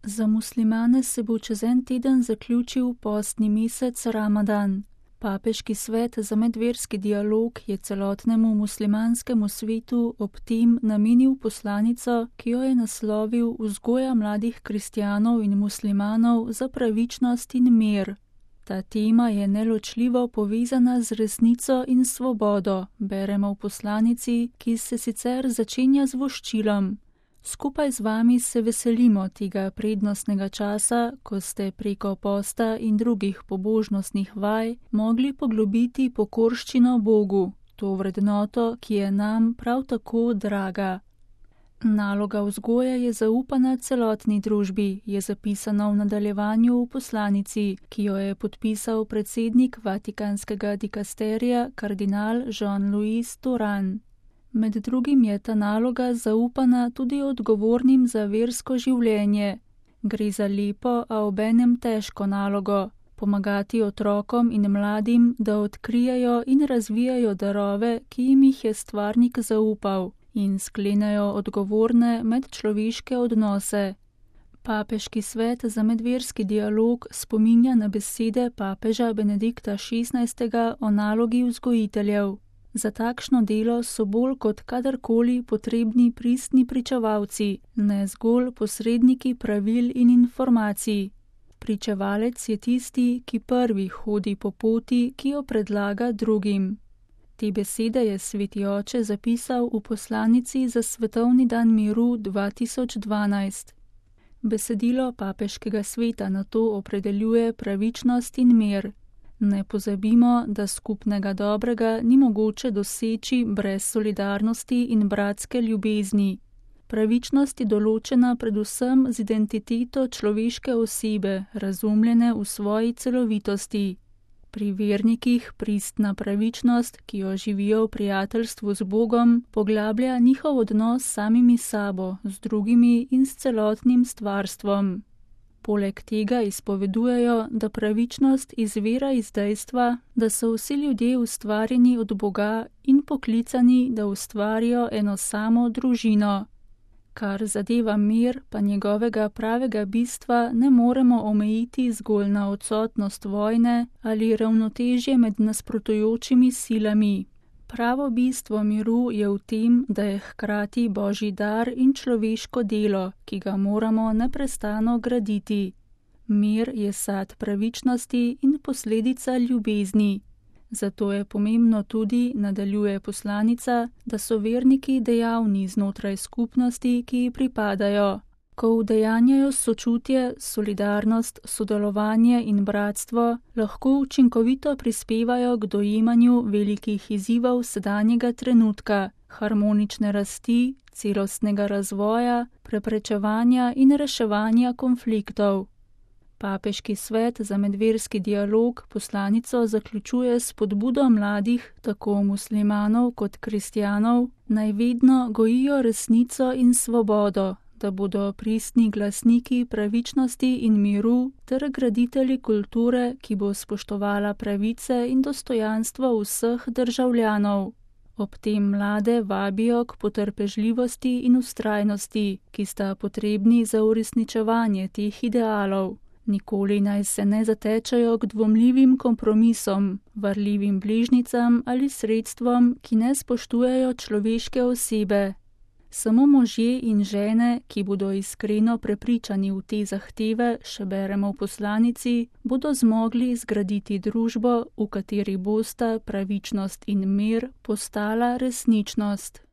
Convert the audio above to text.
Za muslimane se bo čez en teden zaključil postni mesec Ramadan. Papeški svet za medverski dialog je celotnemu muslimanskemu svetu ob tem namenil poslanico, ki jo je naslovil Vzgoja mladih kristjanov in muslimanov za pravičnost in mir. Ta tema je neločljivo povezana z resnico in svobodo, beremo v poslanici, ki se sicer začenja z voščilom. Skupaj z vami se veselimo tega prednostnega časa, ko ste preko posta in drugih pobožnostnih vaj mogli poglobiti pokorščino Bogu, to vrednoto, ki je nam prav tako draga. Naloga vzgoje je zaupana celotni družbi, je zapisano v nadaljevanju v poslanici, ki jo je podpisal predsednik Vatikanskega dikasterija kardinal Jean-Louis Touran. Med drugim je ta naloga zaupana tudi odgovornim za versko življenje. Gre za lepo, a obenem težko nalogo. Pomagati otrokom in mladim, da odkrijejo in razvijajo darove, ki jim jih je stvarnik zaupal, in sklenejo odgovorne medčloveške odnose. Papeški svet za medverski dialog spominja na besede papeža Benedikta XVI. O nalogi vzgojiteljev. Za takšno delo so bolj kot kadarkoli potrebni pristni pričevalci, ne zgolj posredniki pravil in informacij. Pričevalec je tisti, ki prvi hodi po poti, ki jo predlaga drugim. Te besede je sveti oče zapisal v poslanici za Svetovni dan miru 2012. Besedilo papeškega sveta nato opredeljuje pravičnost in mir. Ne pozabimo, da skupnega dobrega ni mogoče doseči brez solidarnosti in bratske ljubezni. Pravičnost je določena predvsem z identiteto človeške osebe, razumljene v svoji celovitosti. Pri vernikih pristna pravičnost, ki jo živijo v prijateljstvu z Bogom, poglablja njihov odnos s samimi sabo, z drugimi in s celotnim stvarstvom. Poleg tega izpovedujejo, da pravičnost izvira iz dejstva, da so vsi ljudje ustvarjeni od Boga in poklicani, da ustvarijo eno samo družino. Kar zadeva mir, pa njegovega pravega bistva ne moremo omejiti zgolj na odsotnost vojne ali ravnotežje med nasprotujočimi silami. Pravo bistvo miru je v tem, da je hkrati božji dar in človeško delo, ki ga moramo neprestano graditi. Mir je sad pravičnosti in posledica ljubezni. Zato je pomembno tudi, nadaljuje poslanica, da so verniki dejavni znotraj skupnosti, ki ji pripadajo. Ko udejanjajo sočutje, solidarnost, sodelovanje in bratstvo, lahko učinkovito prispevajo k dojemanju velikih izzivov sedanjega trenutka, harmonične rasti, celostnega razvoja, preprečevanja in reševanja konfliktov. Papeški svet za medverski dialog poslanico zaključuje s spodbudo mladih, tako muslimanov kot kristjanov, naj vedno gojijo resnico in svobodo, da bodo pristni glasniki pravičnosti in miru ter graditelji kulture, ki bo spoštovala pravice in dostojanstvo vseh državljanov. Ob tem mlade vabijo k potrpežljivosti in vztrajnosti, ki sta potrebni za uresničevanje teh idealov. Nikoli naj se ne zatečajo k dvomljivim kompromisom, varljivim bližnjicam ali sredstvom, ki ne spoštujejo človeške osebe. Samo možje in žene, ki bodo iskreno prepričani v te zahteve, še beremo v poslanici, bodo zmogli zgraditi družbo, v kateri bosta pravičnost in mir postala resničnost.